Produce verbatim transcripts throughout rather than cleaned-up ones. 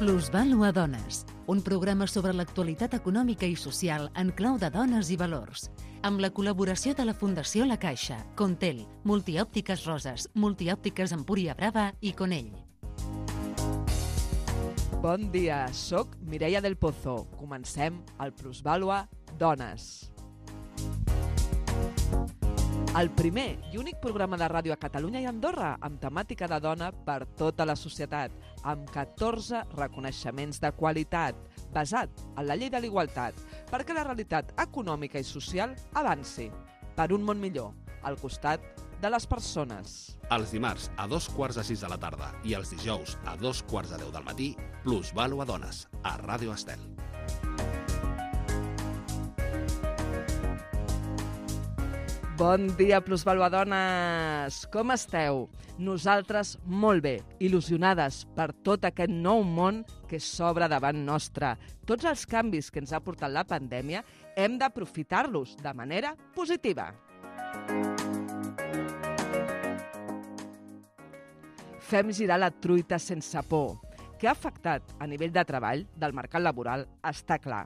Plusvàlua Dones, un programa sobre l'actualitat econòmica i social en clau de dones i valors, amb la col·laboració de la Fundació La Caixa, Contel, Multiòptiques Roses, Multiòptiques Empúria Brava i Conell. Bon dia, soc Mireia del Pozo. Comencem el Plusvàlua Dones. El primer i únic programa de ràdio a Catalunya i Andorra amb temàtica de dona per tota la societat, amb catorze reconeixements de qualitat, basat en la llei de l'igualtat, perquè la realitat econòmica i social avanci per un món millor, al costat de les persones. Els dimarts a dos quarts de sis de la tarda i els dijous a dos quarts de deu del matí, Plusvàlua Dones, a Ràdio Estel. Bon dia, Plusvàlua Dones! Com esteu? Nosaltres molt bé, il·lusionades per tot aquest nou món que s'obre davant nostre. Tots els canvis que ens ha portat la pandèmia hem d'aprofitar-los de manera positiva. Fem girar la truita sense por. Què ha afectat a nivell de treball del mercat laboral està clar.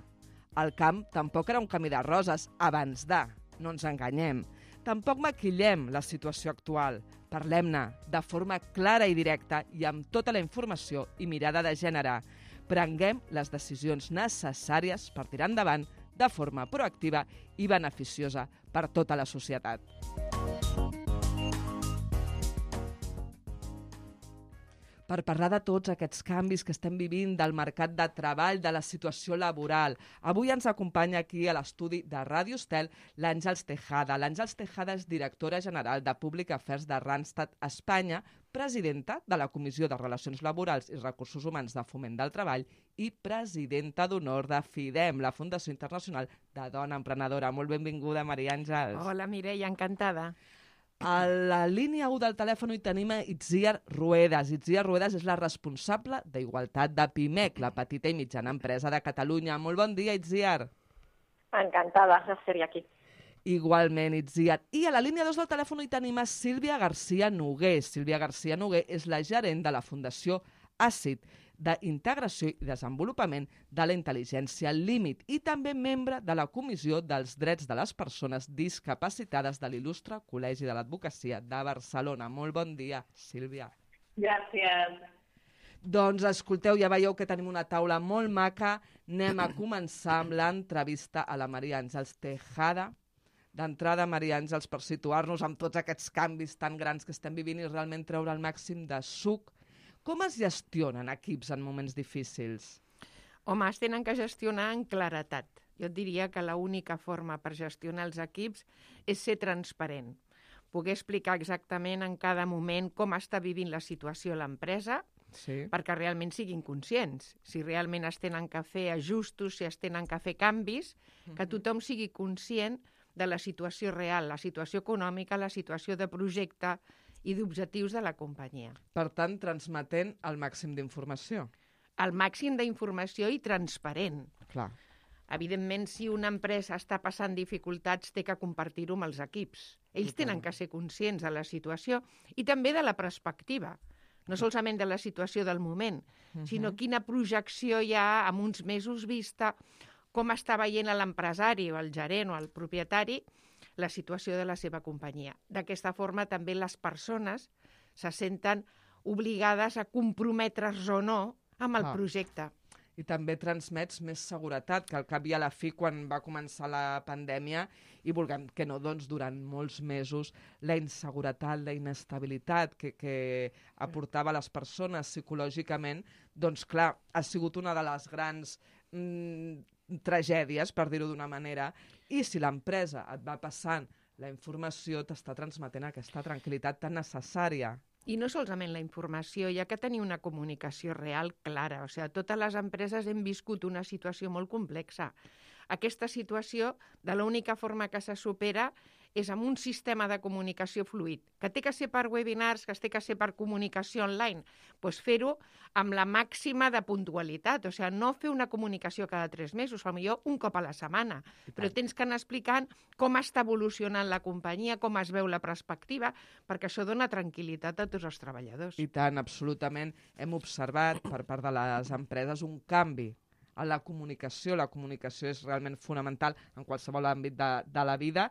El camp tampoc era un camí de roses abans de, no ens enganyem. Tampoc maquillem la situació actual. Parlem-ne de forma clara i directa i amb tota la informació i mirada de gènere. Prenguem les decisions necessàries per tirar endavant de forma proactiva i beneficiosa per tota la societat. Per parlar de tots aquests canvis que estem vivint del mercat de treball, de la situació laboral. Avui ens acompanya aquí a l'estudi de Ràdio Estel l'Àngels Tejada. L'Àngels Tejada és directora general de Public Affairs de Randstad Espanya, presidenta de la Comissió de Relacions Laborals i Recursos Humans de Foment del Treball i presidenta d'honor de FIDEM, la Fundació Internacional de Dona Emprenedora. Molt benvinguda, Maria Àngels. Hola, Mireia, encantada. A la línia u del telèfon hi tenim a Itziar Ruedas. Itziar Ruedas és la responsable d'Igualtat de PIMEC, la petita i mitjana empresa de Catalunya. Molt bon dia, Itziar. Encantada de ser aquí. Igualment, Itziar. I a la línia dos del telèfon hi tenim a Sílvia García Noguer. Sílvia García Noguer és la gerent de la Fundació ACID, d'Integració i Desenvolupament de la Intel·ligència Límit i també membre de la Comissió dels Drets de les Persones Discapacitades de l'Il·lustre Col·legi de l'Advocacia de Barcelona. Molt bon dia, Sílvia. Gràcies. Doncs escolteu, ja veieu que tenim una taula molt maca. Anem a començar amb l'entrevista a la Maria Àngels Tejada. D'entrada, Maria Àngels, per situar-nos amb tots aquests canvis tan grans que estem vivint i realment treure el màxim de suc. Com es gestionen equips en moments difícils? Home, es tenen que gestionar en claretat. Jo et diria que l'única forma per gestionar els equips és ser transparent. Poder explicar exactament en cada moment com està vivint la situació a l'empresa, sí, perquè realment siguin conscients. Si realment es tenen que fer ajustos, si es tenen que fer canvis, uh-huh, que tothom sigui conscient de la situació real, la situació econòmica, la situació de projecte i d'objectius de la companyia. Per tant, transmetent el màxim d'informació. El màxim d'informació i transparent. Clar. Evidentment, si una empresa està passant dificultats, té que compartir-ho amb els equips. Ells Total. tenen que ser conscients de la situació i també de la perspectiva. No solament de la situació del moment, uh-huh, sinó quina projecció hi ha amb uns mesos vista, com està veient l'empresari o el gerent o el propietari la situació de la seva companyia. D'aquesta forma, també les persones se senten obligades a comprometre's o no amb el ah. projecte. I també transmets més seguretat, que al cap i a la fi, quan va començar la pandèmia, i vulguem que no, doncs, durant molts mesos, la inseguretat, la inestabilitat que, que aportava a les persones psicològicament, doncs clar, ha sigut una de les grans mm, tragèdies, per dir-ho d'una manera, i si l'empresa et va passant la informació, t'està transmetent aquesta tranquil·litat tan necessària. I no solament la informació, hi ha que tenir una comunicació real clara. O sigui, totes les empreses hem viscut una situació molt complexa. Aquesta situació, de l'única forma que se supera és amb un sistema de comunicació fluid, que té que ser per webinars, que té que ser per comunicació online, doncs fer-ho amb la màxima de puntualitat, o sigui, no fer una comunicació cada tres mesos, potser un cop a la setmana, però tens que anar explicant com està evolucionant la companyia, com es veu la perspectiva, perquè això dona tranquil·litat a tots els treballadors. I tant, absolutament. Hem observat per part de les empreses un canvi a la comunicació. La comunicació és realment fonamental en qualsevol àmbit de, de la vida,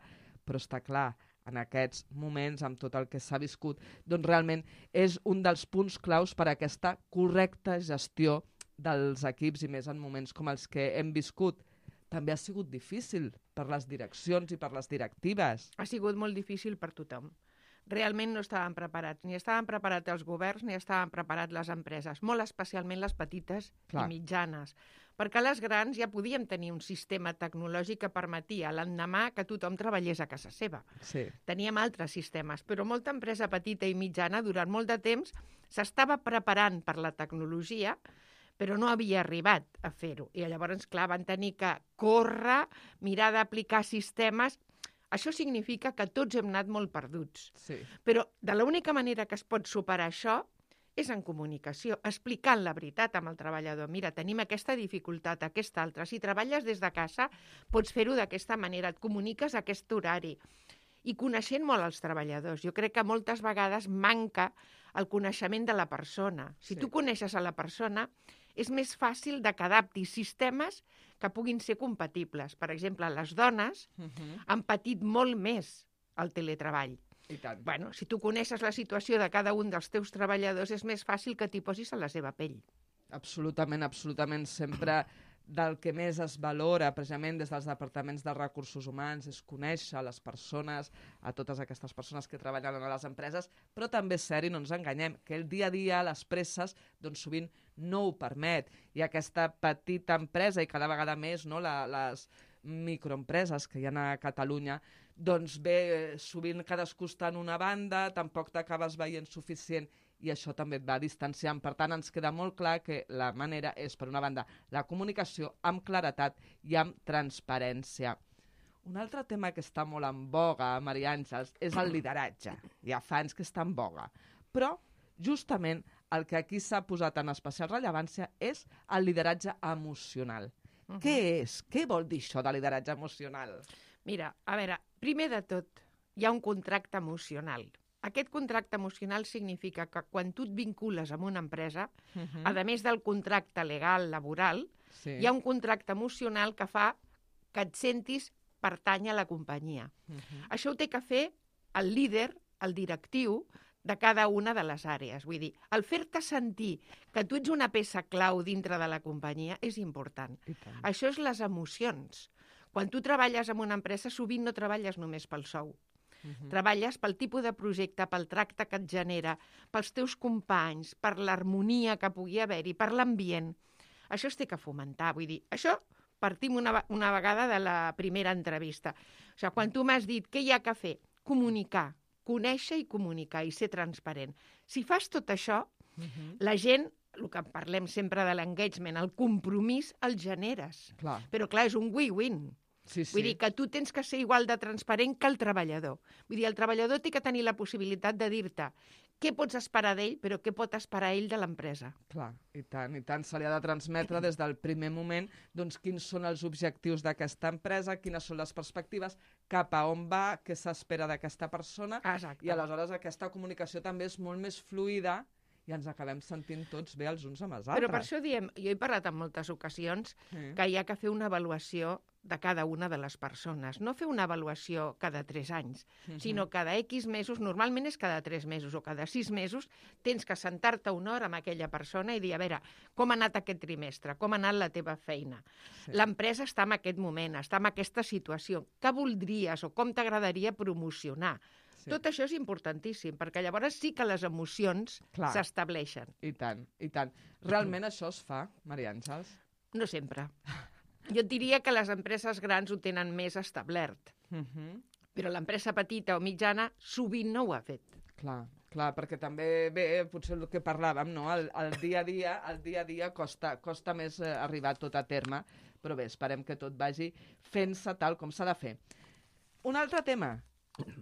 però està clar, en aquests moments, amb tot el que s'ha viscut, doncs realment és un dels punts claus per a aquesta correcta gestió dels equips, i més en moments com els que hem viscut. També ha sigut difícil per les direccions i per les directives. Ha sigut molt difícil per tothom. Realment no estaven preparats. Ni estaven preparats els governs, ni estaven preparats les empreses, molt especialment les petites Clar. i mitjanes. Perquè les grans ja podíem tenir un sistema tecnològic que permetia l'endemà que tothom treballés a casa seva. Sí. Teníem altres sistemes, però molta empresa petita i mitjana durant molt de temps s'estava preparant per la tecnologia, però no havia arribat a fer-ho. I llavors, clar, van tenir que córrer, mirar d'aplicar sistemes. Això significa que tots hem anat molt perduts. Sí. Però de l'única manera que es pot superar això és en comunicació, explicant la veritat amb el treballador. Mira, tenim aquesta dificultat, aquesta altra. Si treballes des de casa, pots fer-ho d'aquesta manera, et comuniques a aquest horari. I coneixent molt els treballadors. Jo crec que moltes vegades manca el coneixement de la persona. Si Sí. tu coneixes a la persona, és més fàcil de que adaptis sistemes que puguin ser compatibles. Per exemple, les dones Uh-huh. han patit molt més el teletreball. I tant. Bueno, si tu coneixes la situació de cada un dels teus treballadors, és més fàcil que t'hi posis a la seva pell. Absolutament, absolutament. Sempre del que més es valora, precisament des dels departaments de recursos humans, és conèixer les persones, a totes aquestes persones que treballen a les empreses, però també és cert, i no ens enganyem, que el dia a dia, les presses, doncs sovint no ho permet. I aquesta petita empresa, i cada vegada més, no, la, les microempreses que hi ha a Catalunya, doncs bé, sovint cadascú està en una banda, tampoc t'acabes veient suficient, i això també et va distanciant. Per tant, ens queda molt clar que la manera és, per una banda, la comunicació amb claretat i amb transparència. Un altre tema que està molt en boga, Maria Àngels, és el lideratge. Ja fa anys que està en boga. Però, justament, el que aquí s'ha posat en especial rellevància és el lideratge emocional. Uh-huh. Què és? Què vol dir això de lideratge emocional? Mira, a veure, primer de tot, hi ha un contracte emocional. Aquest contracte emocional significa que quan tu et vincules amb una empresa, Uh-huh. a més del contracte legal, laboral, Sí. hi ha un contracte emocional que fa que et sentis pertany a la companyia. Uh-huh. Això ho té que fer el líder, el directiu, de cada una de les àrees. Vull dir, el fer-te sentir que tu ets una peça clau dintre de la companyia és important. I tant. Això és les emocions. Quan tu treballes en una empresa, sovint no treballes només pel sou. Uh-huh. Treballes pel tipus de projecte, pel tracte que et genera, pels teus companys, per l'harmonia que pugui haver-hi, per l'ambient. Això es té que fomentar. Vull dir, això partim una, una vegada de la primera entrevista. O sigui, quan tu m'has dit què hi ha que fer? Comunicar, conèixer i comunicar i ser transparent. Si fas tot això, Uh-huh. la gent, el que parlem sempre de l'engagement, el compromís el generes. Clar. Però clar, és un win-win. Sí, sí. Vull dir que tu tens que ser igual de transparent que el treballador. Vull dir, el treballador té que tenir la possibilitat de dir-te què pots esperar d'ell, però què pot esperar ell de l'empresa. Clar, i tant, i tant. Se li ha de transmetre des del primer moment doncs, quins són els objectius d'aquesta empresa, quines són les perspectives, cap a on va, què s'espera d'aquesta persona, Exacte. i aleshores aquesta comunicació també és molt més fluida i ens acabem sentint tots bé els uns amb els altres. Però per això diem, jo he parlat en moltes ocasions Sí. que hi ha que fer una avaluació de cada una de les persones. No fer una avaluació cada tres anys, Mhm. sinó cada X mesos, normalment és cada tres mesos o cada sis mesos, tens que sentar-te una hora amb aquella persona i dir, a veure, com ha anat aquest trimestre, com ha anat la teva feina. Sí. L'empresa està en aquest moment, està en aquesta situació. Què voldries o com t'agradaria promocionar? Sí. Tot això és importantíssim, perquè llavors sí que les emocions Clar. s'estableixen. I tant, i tant. Realment això es fa, Maria Àngels? No sempre. Jo et diria que les empreses grans ho tenen més establert, Uh-huh. però l'empresa petita o mitjana sovint no ho ha fet. Clar, clar, perquè també, bé, potser el que parlàvem, no? El, el dia a dia, el dia a dia costa, costa més eh, arribar tot a terme, però bé, esperem que tot vagi fent-se tal com s'ha de fer. Un altre tema,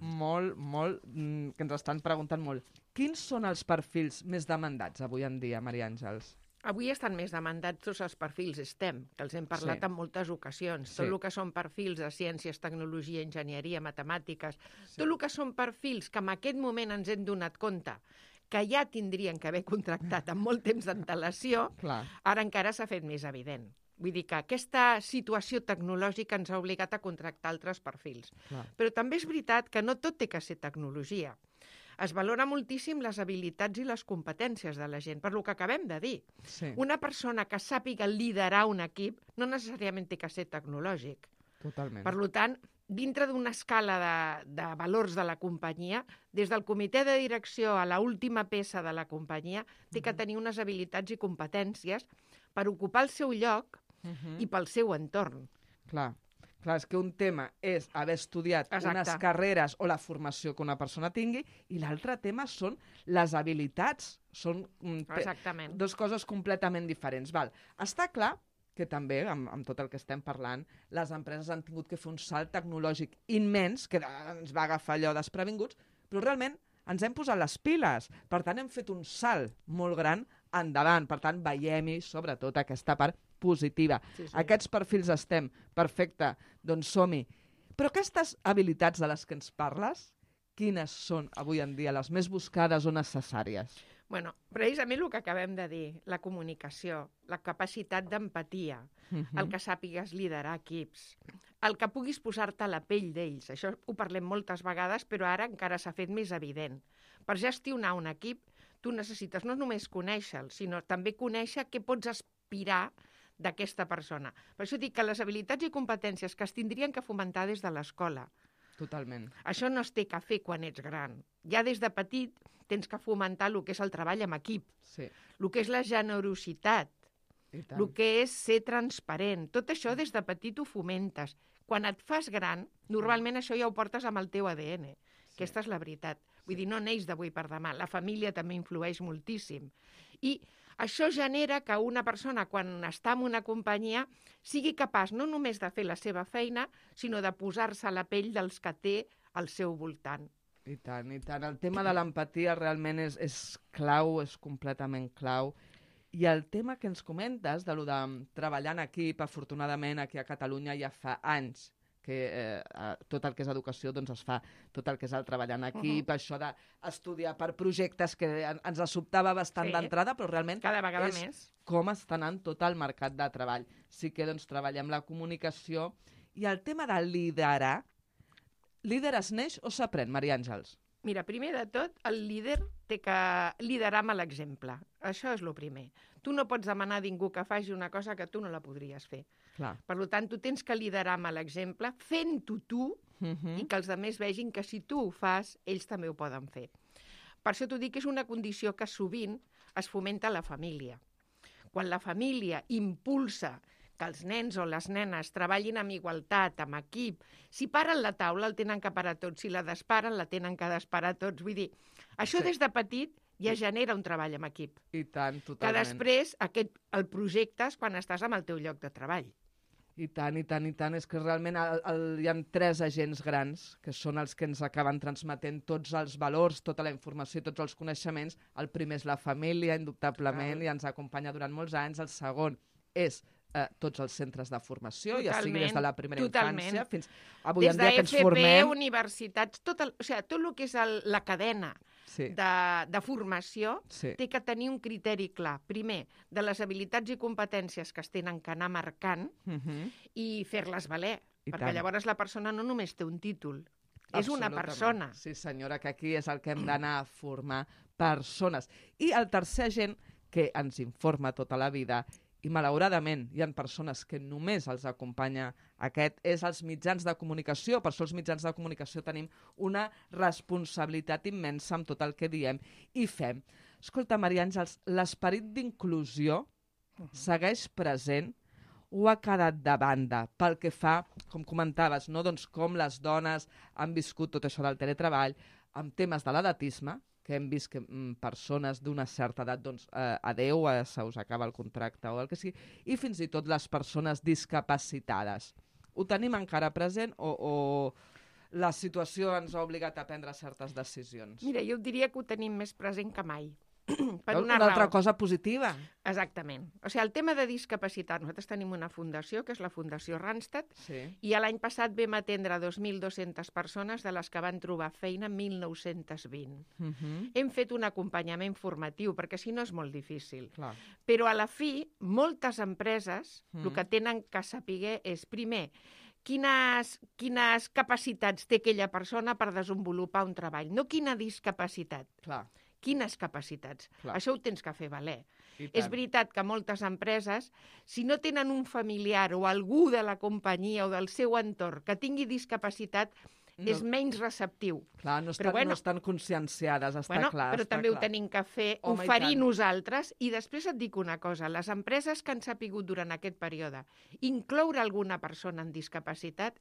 molt, molt, mm, que ens estan preguntant molt. Quins són els perfils més demandats avui en dia, Maria Àngels? Avui estan més demandats tots els perfils STEM, que els hem parlat Sí. en moltes ocasions. Sí. Tot el que són perfils de ciències, tecnologia, enginyeria, matemàtiques, Sí. tot el que són perfils que en aquest moment ens hem donat compte que ja tindrien que haver contractat amb molt temps d'antelació, Clar. ara encara s'ha fet més evident. Vull dir que aquesta situació tecnològica ens ha obligat a contractar altres perfils. Clar. Però també és veritat que no tot té que ser tecnologia. Es valora moltíssim les habilitats i les competències de la gent, per lo que acabem de dir. Sí, Una persona que sàpiga liderar un equip no necessàriament té que ser tecnològic. totalment. Per tant, dintre d'una escala de, de valors de la companyia, des del comitè de direcció a l'última peça de la companyia, té que tenir unes habilitats i competències per ocupar el seu lloc Mhm. i pel seu entorn. Clar. Clar, és que un tema és haver estudiat Exacte. unes carreres o la formació que una persona tingui i l'altre tema són les habilitats. Són mm, pe- Exactament. dos coses completament diferents. Val. Està clar que també, amb, amb tot el que estem parlant, les empreses han tingut que fer un salt tecnològic immens, que ens va agafar allò desprevinguts, però realment ens hem posat les piles. Per tant, hem fet un salt molt gran endavant. Per tant, veiem-hi, sobretot, aquesta part positiva. Sí, sí. Aquests perfils estem, perfecte, doncs som-hi. Però aquestes habilitats de les que ens parles, quines són avui en dia les més buscades o necessàries? Bueno, precisament el que acabem de dir, la comunicació, la capacitat d'empatia, Mhm. el que sàpigues liderar equips, el que puguis posar-te a la pell d'ells. Això ho parlem moltes vegades, però ara encara s'ha fet més evident. Per gestionar un equip, tu necessites no només conèixer-lo, sinó també conèixer què pots aspirar d'aquesta persona. Per això dic que les habilitats i competències que es tindrien que fomentar des de l'escola. Totalment. Això no es té que fer quan ets gran. Ja des de petit tens que fomentar el que és el treball amb equip, Sí, el que és la generositat, i tant. el que és ser transparent. Tot això des de petit ho fomentes. Quan et fas gran, normalment això ja ho portes amb el teu A D N. Sí. Aquesta és la veritat. Vull dir, no neix d'avui per demà. La família també influeix moltíssim. I això genera que una persona, quan està en una companyia, sigui capaç no només de fer la seva feina, sinó de posar-se a la pell dels que té al seu voltant. I tant, i tant. El tema de l'empatia realment és, és clau, és completament clau. I el tema que ens comentes, de lo de treballar en equip, afortunadament aquí a Catalunya ja fa anys que eh, tot el que és educació doncs es fa, tot el que és el treballar en equip, uh -huh. això d'estudiar per projectes que en, ens sobtava bastant Sí. d'entrada, però realment Cada vegada és més. com està anant tot el mercat de treball. Sí que doncs, treballem la comunicació i el tema de liderar. Líder es neix o s'aprèn, Maria Àngels? Mira, primer de tot, el líder té que liderar amb l'exemple. Això és el primer. Tu no pots demanar a ningú que faci una cosa que tu no la podries fer. Clar. Per tant, tu tens que liderar amb l'exemple, fent-ho tu, Uh -huh. i que els altres vegin que si tu ho fas, ells també ho poden fer. Per això t'ho dic que és una condició que sovint es fomenta a la família. Quan la família impulsa que els nens o les nenes treballin amb igualtat, amb equip, si paren la taula el tenen que parar tots, si la desparen la tenen que desparar tots. Vull dir, això Sí. des de petit ja genera un treball amb equip. I tant, Que totalment. després aquest, el projectes quan estàs amb el teu lloc de treball. I tant, i tant, i tant. És que realment el, el, hi ha tres agents grans que són els que ens acaben transmetent tots els valors, tota la informació i tots els coneixements. El primer és la família, indubtablement, Clar. i ens acompanya durant molts anys. El segon és eh, tots els centres de formació, ja sigui des de la primera totalment. infància fins avui Des en dia que ens de F P, formem. universitats, tot el, o sigui, tot el que és el, la cadena Sí, de, de formació sí, té que tenir un criteri clar. Primer, de les habilitats i competències que es tenen que anar marcant uh -huh. i fer-les valer, I perquè tant. llavors la persona no només té un títol, és una Absolutament. persona. Sí, senyora, que aquí és el que hem d'anar a formar persones. I el tercer agent que ens informa tota la vida, i malauradament hi ha persones que només els acompanya aquest, és els mitjans de comunicació. Per això els mitjans de comunicació tenim una responsabilitat immensa amb tot el que diem i fem. Escolta, Maria Àngels, l'esperit d'inclusió segueix present o ha quedat de banda pel que fa, com comentaves, no? Doncs com les dones han viscut tot això del teletreball, amb temes de l'edatisme, que hem vist que mm, persones d'una certa edat, doncs, eh, adeu, eh, se us acaba el contracte o el que sigui, i fins i tot les persones discapacitades. Ho tenim encara present o, o la situació ens ha obligat a prendre certes decisions. Mira, jo diria que ho tenim més present que mai. Per una, una, una altra raó. cosa positiva. Exactament. O sigui, el tema de discapacitat, nosaltres tenim una fundació, que és la Fundació Randstad, sí. i l'any passat vam atendre dos mil dues-centes persones, de les que van trobar feina mil nou-cents vint. Uh -huh. Hem fet un acompanyament formatiu, perquè si no és molt difícil. Clar. Però a la fi, moltes empreses Mm. el que tenen que saber és, primer, quines, quines capacitats té aquella persona per desenvolupar un treball, no quina discapacitat. Clar. Quines capacitats. Clar. Això ho tens que fer valer. I És tant. veritat que moltes empreses, si no tenen un familiar o algú de la companyia o del seu entorn que tingui discapacitat, No. és menys receptiu. Clar, no Però estan, bueno, no estan conscienciades, està bueno, clar. però està també clar. ho tenim que fer, Home, i oferir tant. nosaltres. I després et dic una cosa, les empreses que han sapigut durant aquest període incloure alguna persona amb discapacitat,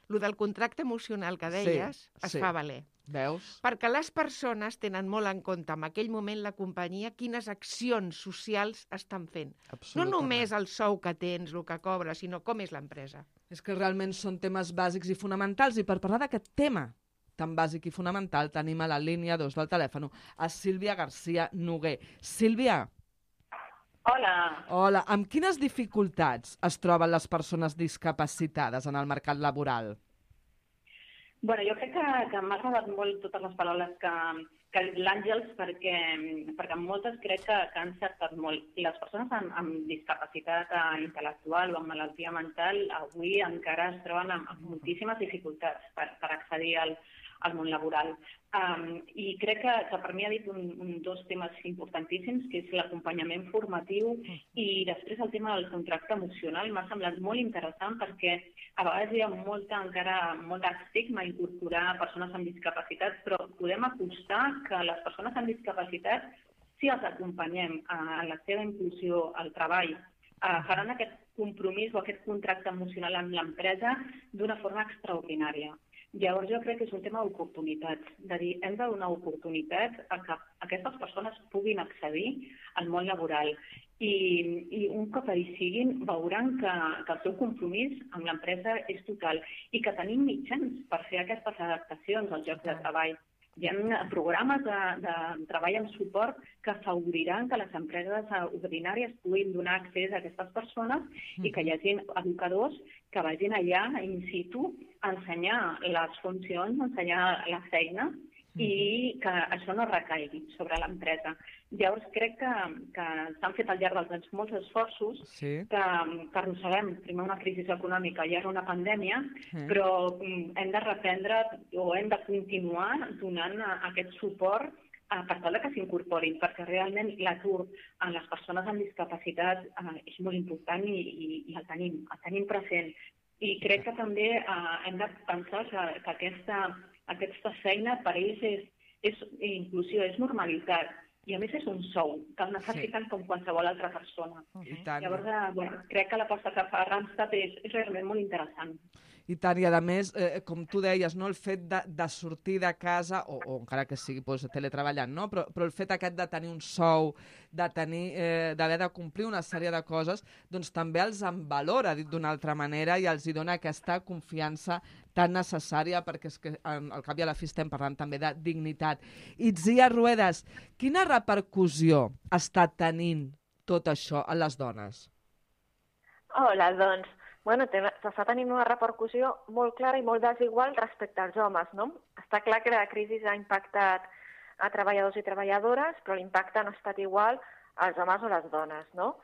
el del contracte emocional que deies, Sí, es sí. fa valer. Veus? Perquè les persones tenen molt en compte en aquell moment la companyia quines accions socials estan fent. No Absolutament. només el sou que tens, el que cobres, sinó com és l'empresa. És que realment són temes bàsics i fonamentals, i per parlar d'aquest tema tan bàsic i fonamental tenim a la línia dos del telèfon a Sílvia García Noguer. Sílvia. Hola. Hola. Amb quines dificultats es troben les persones discapacitades en el mercat laboral? Bueno, jo crec que, que m'ha agradat molt totes les paraules que, que ha dit l'Àngels, perquè, perquè moltes crec que, que han encertat molt. I les persones amb, amb discapacitat eh, intel·lectual o amb malaltia mental avui encara es troben amb, amb moltíssimes dificultats per, per accedir al, al món laboral. Um, I crec que, que per mi ha dit un, un dos temes importantíssims, que és l'acompanyament formatiu i després el tema del contracte emocional. M'ha semblat molt interessant perquè a vegades hi ha molta, encara molt estigma a incorporar persones amb discapacitat, però podem apostar que les persones amb discapacitat, si els acompanyem a la seva inclusió al treball, faran aquest compromís o aquest contracte emocional amb l'empresa d'una forma extraordinària. Llavors jo crec que és un tema d'oportunitats, de dir, hem de donar oportunitats a que aquestes persones puguin accedir al món laboral i, i un cop hi siguin veuran que, que el seu compromís amb l'empresa és total i que tenim mitjans per fer aquestes adaptacions als llocs de treball. Hi ha programes de, de treball amb suport que afavoriran que les empreses ordinàries puguin donar accés a aquestes persones i que hi hagi educadors que vagin allà in situ a ensenyar les funcions, a ensenyar la feina i que això no recaigui sobre l'empresa. Llavors crec que, que s'han fet al llarg dels anys molts esforços, sí. que, que arrosseguem primer una crisi econòmica i ara una pandèmia, sí. però hem de reprendre o hem de continuar donant aquest suport eh, per tal que s'incorporin, perquè realment l'atur en les persones amb discapacitat eh, és molt important i, i, i el, tenim, el tenim present. I crec que també eh, hem de pensar que, que aquesta, aquesta feina per ells és, és inclusió, és normalitat. I a més és un sou, que el necessiten sí. com qualsevol altra persona. I tant. Llavors, eh, bueno, crec que l'aposta que fa Randstad és, és realment molt interessant. I tant, i a més, eh, com tu deies, no, el fet de, de sortir de casa, o, o encara que sigui doncs, teletreballant, no? però, però el fet aquest de tenir un sou, de tenir, eh, d'haver de complir una sèrie de coses, doncs també els envalora, dit d'una altra manera, i els hi dona aquesta confiança tan necessària, perquè és que al cap i a la fi estem parlant també de dignitat. Itzia Ruedas, quina repercussió està tenint tot això a les dones? Hola, doncs, bueno, s'està tenint una repercussió molt clara i molt desigual respecte als homes, no? Està clar que la crisi ha impactat a treballadors i treballadores, però l'impacte no ha estat igual als homes o les dones, no?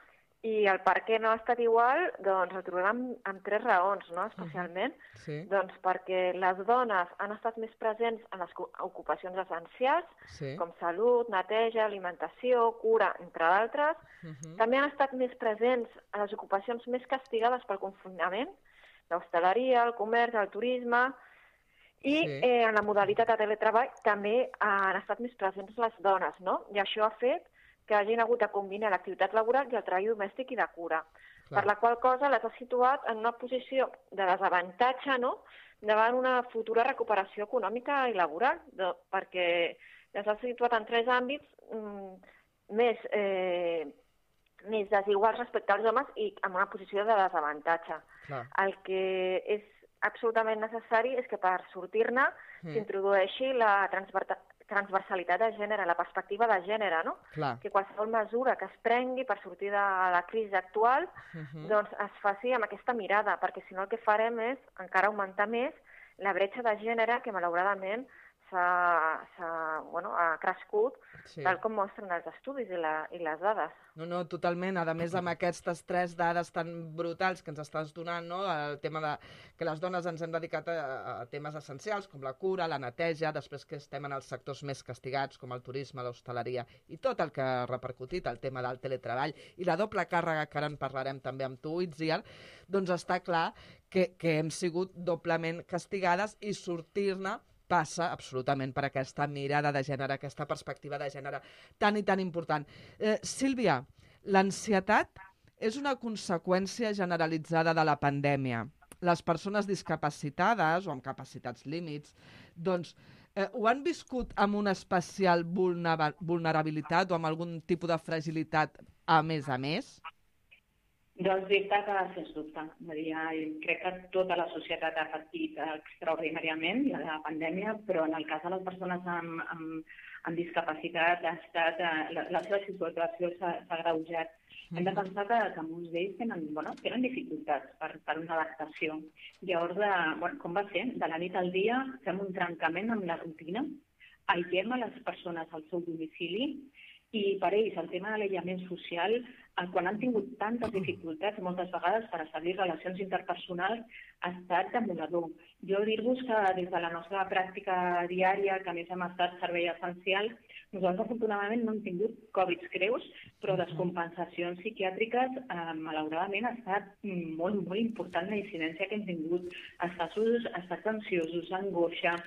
I el per què no ha estat igual, doncs el trobem amb, amb tres raons, no? Especialment, uh-huh. sí. doncs perquè les dones han estat més presents en les ocupacions essencials, sí. com salut, neteja, alimentació, cura, entre d'altres. Uh-huh. També han estat més presents en les ocupacions més castigades pel confinament, l'hostaleria, el comerç, el turisme, i sí. eh, en la modalitat de teletreball també han estat més presents les dones, no? I això ha fet que hagin hagut de combinar l'activitat laboral i el treball domèstic i de cura. Clar. Per la qual cosa les ha situat en una posició de desavantatge, no?, davant una futura recuperació econòmica i laboral, de, perquè les ha situat en tres àmbits mm, més, eh, més desiguals respecte als homes i en una posició de desavantatge. Clar. El que és absolutament necessari és que per sortir-ne mm. s'introdueixi la transver transversalitat de gènere, la perspectiva de gènere, no? Clar. Que qualsevol mesura que es prengui per sortir de la crisi actual uh-huh. doncs es faci amb aquesta mirada, perquè si no el que farem és encara augmentar més la bretxa de gènere que malauradament s'ha bueno, ha crescut sí. tal com mostren els estudis i, la, i les dades. No, no, totalment. A més, amb aquestes tres dades tan brutals que ens estàs donant, no? El tema de que les dones ens hem dedicat a, a temes essencials, com la cura, la neteja, després que estem en els sectors més castigats, com el turisme, l'hostaleria, i tot el que ha repercutit, el tema del teletreball, i la doble càrrega, que ara en parlarem també amb tu, Itziar, doncs està clar que, que hem sigut doblement castigades i sortir-ne passa absolutament per aquesta mirada de gènere, aquesta perspectiva de gènere tan i tan important. Eh, Sílvia, l'ansietat és una conseqüència generalitzada de la pandèmia. Les persones discapacitades o amb capacitats límits, doncs, eh, ho han viscut amb una especial vulnerabilitat o amb algun tipus de fragilitat a més a més? Doncs dir-te que, sens dubte, crec que tota la societat ha patit extraordinàriament la pandèmia, però en el cas de les persones amb, amb, amb discapacitat ha estat, la, la seva situació s'ha agreujat. Hem de pensar que, que molts d'ells tenen, bueno, tenen dificultats per, per una adaptació. Llavors, de, bueno, com va ser? De la nit al dia fem un trencament amb la rutina, aïllem a les persones al seu domicili i per ells el tema de l'aïllament social, quan han tingut tantes dificultats moltes vegades per establir relacions interpersonals, ha estat demoledor. Jo dir-vos que des de la nostra pràctica diària, que a més hem estat servei essencial, nosaltres afortunadament no hem tingut Covid greus, però descompensacions psiquiàtriques, eh, malauradament, ha estat molt, molt important la incidència que hem tingut. Estats, estats ansiosos, angoixa,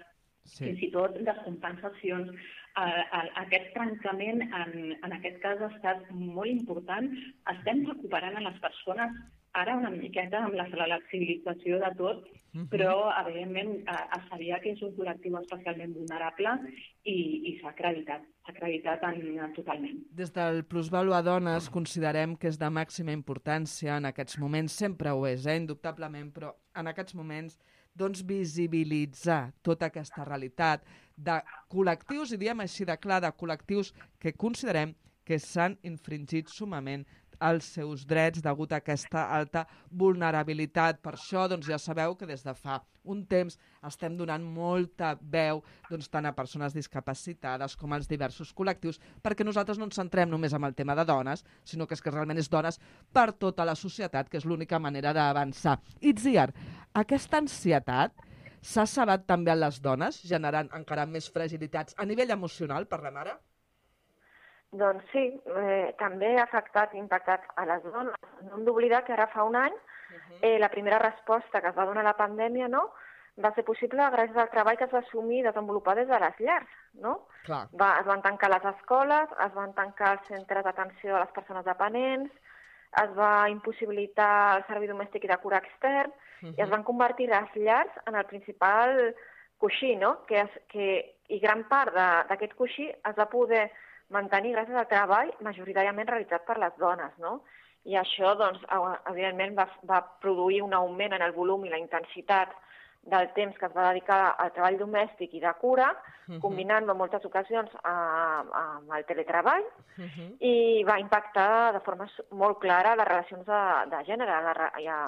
sí. fins i tot descompensacions. Uh, aquest trencament, en, en aquest cas, ha estat molt important. Estem recuperant a les persones ara una miqueta amb la flexibilització de tot, uh-huh. però, evidentment, uh, es sabia que és un col·lectiu especialment vulnerable i, i s'ha acreditat, s'ha acreditat en, en, totalment. Des del Plusvalua Dones considerem que és de màxima importància en aquests moments, sempre ho és, eh, indubtablement, però en aquests moments doncs visibilitzar tota aquesta realitat de col·lectius, i diem així de clar, de col·lectius que considerem que s'han infringit sumament els seus drets degut a aquesta alta vulnerabilitat. Per això doncs, ja sabeu que des de fa un temps estem donant molta veu doncs, tant a persones discapacitades com als diversos col·lectius, perquè nosaltres no ens centrem només en el tema de dones, sinó que és que realment és dones per tota la societat, que és l'única manera d'avançar. Itziar, aquesta ansietat s'ha sabat també en les dones, generant encara més fragilitats a nivell emocional, parlem ara? Doncs sí, eh, també ha afectat i impactat a les dones. No hem d'oblidar que ara fa un any uh-huh. eh, la primera resposta que es va donar a la pandèmia, no?, va ser possible gràcies al treball que es va assumir i desenvolupar des de les llars, no? Clar. Va, es van tancar les escoles, es van tancar els centres d'atenció a les persones dependents, es va impossibilitar el servei domèstic i de cura extern uh-huh. i es van convertir les llars en el principal coixí, no?, que es, que, i gran part d'aquest coixí es va poder mantenir gràcies al treball majoritàriament realitzat per les dones, no? I això, doncs, evidentment, va, va produir un augment en el volum i la intensitat del temps que es va dedicar al treball domèstic i de cura, uh-huh. combinant-lo en moltes ocasions amb el teletreball, uh-huh. i va impactar de forma molt clara les relacions de, de gènere, la, i a,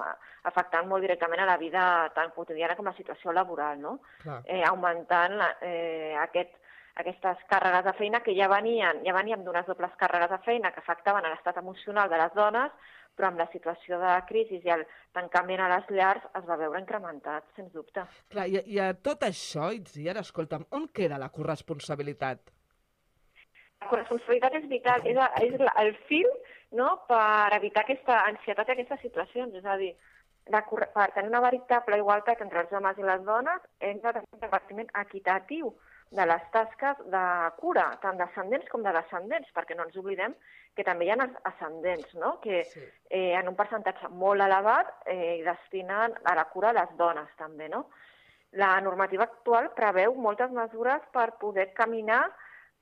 afectant molt directament a la vida tan quotidiana com la situació laboral, no? Eh, augmentant la, eh, aquest aquestes càrregues de feina que ja venien, ja veníem d'unes dobles càrregues de feina que afectaven a l'estat emocional de les dones, però amb la situació de crisi i el tancament a les llars es va veure incrementat, sens dubte. Clar, i, i a tot això, Itziar, escolta'm, on queda la corresponsabilitat? La corresponsabilitat és vital, és, és el fil, no?, per evitar aquesta ansietat i aquestes situacions, és a dir, la, per tenir una veritable igualtat entre els homes i les dones, hem de tenir un repartiment equitatiu de les tasques de cura, tant d'ascendents com de descendents, perquè no ens oblidem que també hi ha ascendents, no?, que sí. eh, en un percentatge molt elevat eh, destinen a la cura a les dones també, no? La normativa actual preveu moltes mesures per poder caminar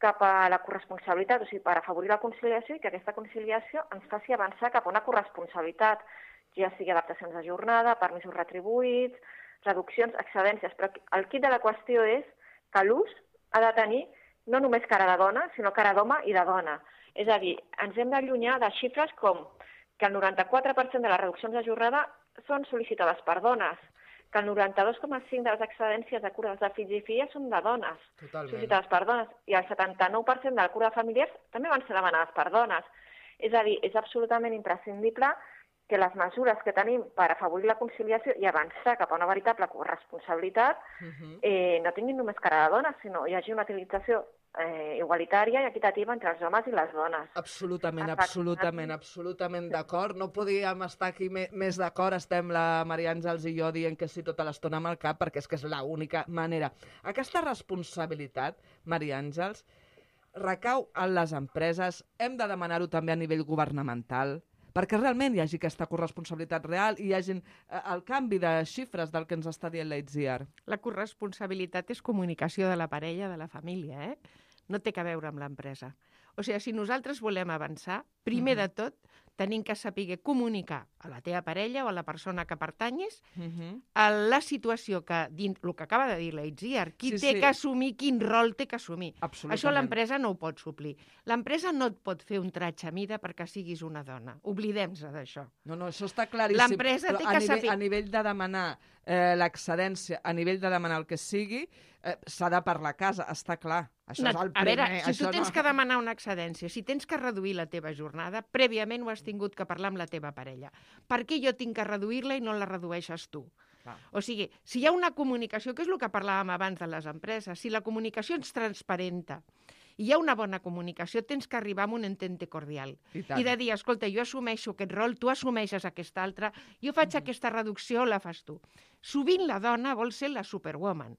cap a la corresponsabilitat, o sigui, per afavorir la conciliació i que aquesta conciliació ens faci avançar cap a una corresponsabilitat, ja sigui adaptacions de jornada, permisos retribuïts, reduccions, excedències, però el quid de la qüestió és que l'ús ha de tenir no només cara de dona, sinó cara d'home i de dona. És a dir, ens hem d'allunyar de xifres com que el noranta-quatre per cent de les reduccions de jornada són sol·licitades per dones, que el noranta-dos coma cinc de les excedències de cures de fills i filles són de dones, Totalment. sol·licitades per dones, i el setanta-nou per cent de la cura de familiars també van ser demanades per dones. És a dir, és absolutament imprescindible que les mesures que tenim per afavorir la conciliació i avançar cap a una veritable corresponsabilitat Uh-huh. eh, no tinguin només cara de dones, sinó hi hagi una utilització eh, igualitària i equitativa entre els homes i les dones. Absolutament, Exacte. absolutament, absolutament d'acord. No podíem estar aquí me- més d'acord. Estem la Maria Àngels i jo dient que sí tota l'estona amb el cap, perquè és que és l'única manera. Aquesta responsabilitat, Maria Àngels, recau en les empreses. Hem de demanar-ho també a nivell governamental, perquè realment hi hagi aquesta corresponsabilitat real i hi hagi eh, el canvi de xifres del que ens està dient l'Itziar. La corresponsabilitat és comunicació de la parella, de la família, eh? No té a veure amb l'empresa. O sigui, si nosaltres volem avançar, primer Mhm. de tot tenim que saber comunicar a la teva parella o a la persona que pertanyes Uh -huh. a la situació que, dins el que acaba de dir la Itziar, qui Sí, té sí. que assumir, quin rol té que assumir. Absolutament. Això l'empresa no ho pot suplir. L'empresa no et pot fer un tratge a mida perquè siguis una dona. Oblidem-se d'això. No, no, això està claríssim. L'empresa Però té a que nivell, saber- a nivell de demanar eh, l'excedència, a nivell de demanar el que sigui, eh, s'ha de parlar a casa, està clar. Això No, és el a veure, primer. si tu això tens no... que demanar una excedència, si tens que reduir la teva jornada, prèviament ho has tingut que parlar amb la teva parella. Per què jo tinc que reduir-la i no la redueixes tu? Clar. O sigui, si hi ha una comunicació, que és el que parlàvem abans de les empreses, si la comunicació és transparenta i hi ha una bona comunicació, tens que arribar a un entente cordial. I tant. I de dir, escolta, jo assumeixo aquest rol, tu assumeixes aquest altre, jo faig Mhm. aquesta reducció, la fas tu. Sovint la dona vol ser la superwoman.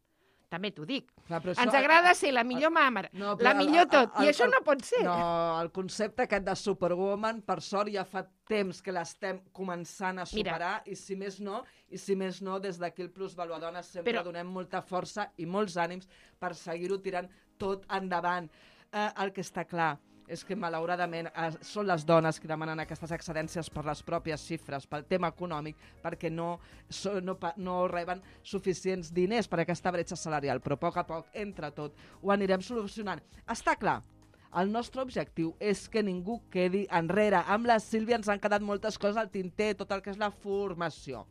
També t'ho dic. Clar, però Ens això- agrada ser la millor mama, No, però la el- millor el- tot, el- i això el- no pot ser. No, el concepte aquest de Superwoman, per sort, ja fa temps que l'estem començant a Mira. superar, i si més no, i si més no, des d'aquí el Plus Valuadones sempre Però- donem molta força i molts ànims per seguir-ho tirant tot endavant. Eh, el que està clar és que, malauradament, eh, són les dones que demanen aquestes excedències per les pròpies xifres, pel tema econòmic, perquè no, so, no, pa- no reben suficients diners per aquesta bretxa salarial. Però a poc a poc, entre tot, ho anirem solucionant. Està clar, el nostre objectiu és que ningú quedi enrere. Amb la Sílvia ens han quedat moltes coses al tinter, tot el que és la formació.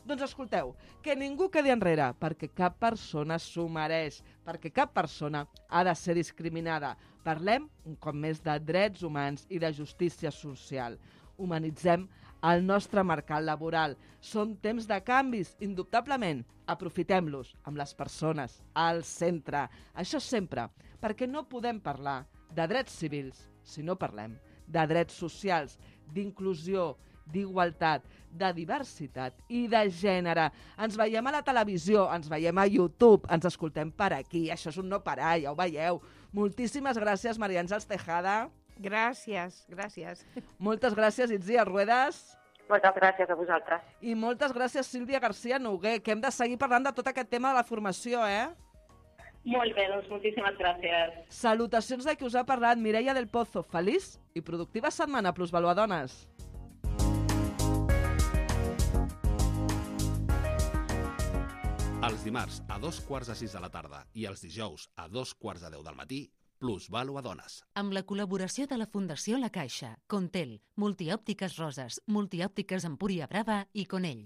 Doncs escolteu, que ningú quedi enrere, perquè cap persona s'ho mereix, perquè cap persona ha de ser discriminada. Parlem, un cop més, de drets humans i de justícia social. Humanitzem el nostre mercat laboral. Són temps de canvis, indubtablement. Aprofitem-los amb les persones al centre. Això sempre, perquè no podem parlar de drets civils si no parlem de drets socials, d'inclusió, d'igualtat, de diversitat i de gènere. Ens veiem a la televisió, ens veiem a YouTube, ens escoltem per aquí. Això és un no parar, ja ho veieu. Moltíssimes gràcies, Maria Àngels Tejada. Gràcies, gràcies. Moltes gràcies, Itziar Ruedas. Moltes gràcies a vosaltres. I moltes gràcies, Sílvia García Noguer, que hem de seguir parlant de tot aquest tema de la formació, eh? Molt bé, doncs moltíssimes gràcies. Salutacions de qui us ha parlat, Mireia del Pozo. Feliç i productiva setmana, Plusvaluadones. Els dimarts a dos quarts de sis de la tarda i els dijous a dos quarts de deu del matí, Plusvaluadones. Amb la col·laboració de la Fundació La Caixa, Contel, Multiòptiques Roses, Multiòptiques Empúria Brava i Conell.